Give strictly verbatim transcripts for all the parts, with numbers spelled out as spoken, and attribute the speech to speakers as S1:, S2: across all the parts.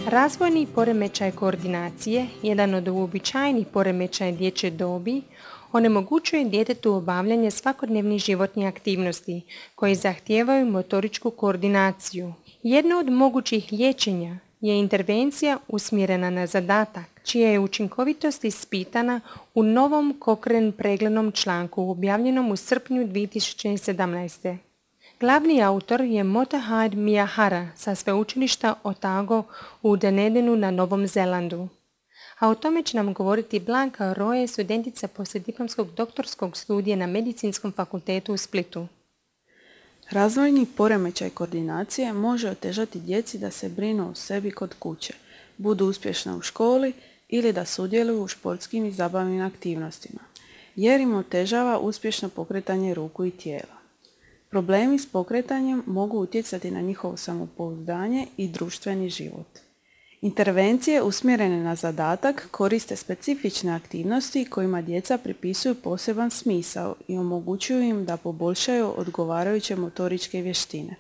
S1: Razvojni poremećaj koordinacije, jedan od uobičajenih poremećaja dječje dobi, onemogućuje djetetu obavljanje svakodnevnih životnih aktivnosti koje zahtijevaju motoričku koordinaciju. Jedno od mogućih liječenja je intervencija usmjerena na zadatak, čija je učinkovitost ispitana u novom Cochrane preglednom članku objavljenom u srpnju dvije tisuće sedamnaeste. Glavni autor je Motahad Miyahara sa sveučilišta Otago u Dunedinu na Novom Zelandu. A o tome će nam govoriti Blanka Roje, studentica poslijediplomskog doktorskog studija na Medicinskom fakultetu u Splitu.
S2: Razvojni poremećaj koordinacije može otežati djeci da se brinu o sebi kod kuće, budu uspješna u školi ili da sudjeluju u športskim i zabavnim aktivnostima, jer im otežava uspješno pokretanje ruku i tijela. Problemi s pokretanjem mogu utjecati na njihovo samopouzdanje i društveni život. Intervencije usmjerene na zadatak koriste specifične aktivnosti kojima djeca pripisuju poseban smisao i omogućuju im da poboljšaju odgovarajuće motoričke vještine.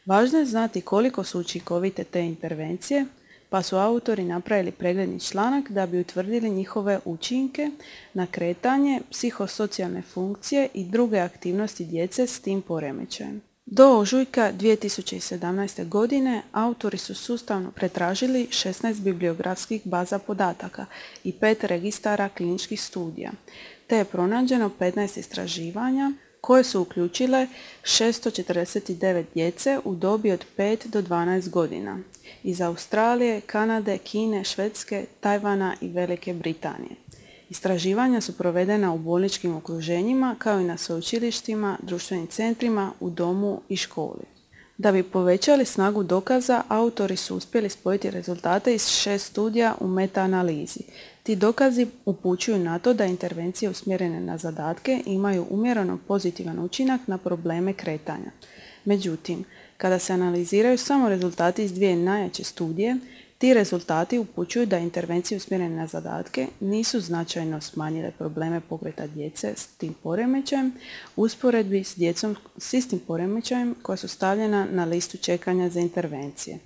S2: Važno je znati koliko su učinkovite te intervencije, pa su autori napravili pregledni članak da bi utvrdili njihove učinke na kretanje, psihosocijalne funkcije i druge aktivnosti djece s tim poremećajem. Do ožujka dvije tisuće sedamnaeste. godine autori su sustavno pretražili šesnaest bibliografskih baza podataka i pet registara kliničkih studija, te je pronađeno petnaest istraživanja koje su uključile šesto četrdeset devet djece u dobi od pet do dvanaest godina iz Australije, Kanade, Kine, Švedske, Tajvana i Velike Britanije. Istraživanja su provedena u bolničkim okruženjima kao i na sveučilištima, društvenim centrima, u domu i školi. Da bi povećali snagu dokaza, autori su uspjeli spojiti rezultate iz šest studija u meta-analizi. Ti dokazi upućuju na to da intervencije usmjerene na zadatke imaju umjereno pozitivan učinak na probleme kretanja. Međutim, kada se analiziraju samo rezultati iz dvije najjače studije, ti rezultati upućuju da intervencije usmjerene na zadatke nisu značajno smanjile probleme pokreta djece s tim poremećajem u usporedbi s djecom s istim poremećajem koja su stavljena na listu čekanja za intervencije.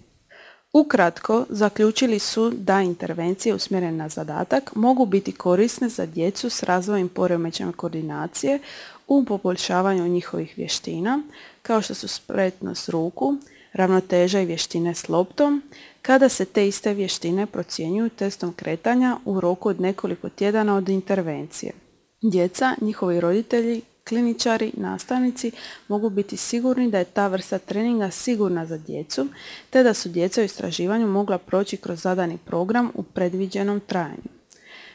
S2: Ukratko, zaključili su da intervencije usmjerene na zadatak mogu biti korisne za djecu s razvojnim poremećajem koordinacije u poboljšavanju njihovih vještina, kao što su spretnost ruku, ravnoteža i vještine s loptom, kada se te iste vještine procjenjuju testom kretanja u roku od nekoliko tjedana od intervencije. Djeca, njihovi roditelji, kliničari, nastavnici mogu biti sigurni da je ta vrsta treninga sigurna za djecu, te da su djeca u istraživanju mogla proći kroz zadani program u predviđenom trajanju.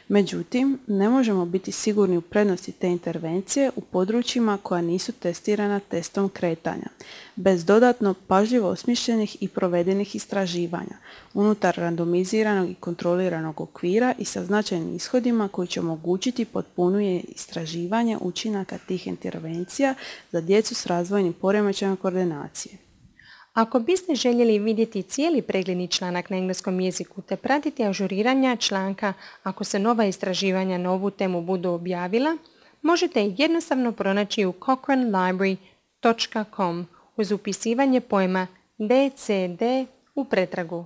S2: Međutim, ne možemo biti sigurni u prednosti te intervencije u područjima koja nisu testirana testom kretanja, bez dodatno pažljivo osmišljenih i provedenih istraživanja, unutar randomiziranog i kontroliranog okvira i sa značajnim ishodima koji će omogućiti potpunije istraživanje učinaka tih intervencija za djecu s razvojnim poremećajem koordinacije.
S1: Ako biste željeli vidjeti cijeli pregledni članak na engleskom jeziku te pratiti ažuriranja članka ako se nova istraživanja na ovu temu budu objavila, možete ih jednostavno pronaći u cochrane library dot com uz upisivanje pojma D C D u pretragu.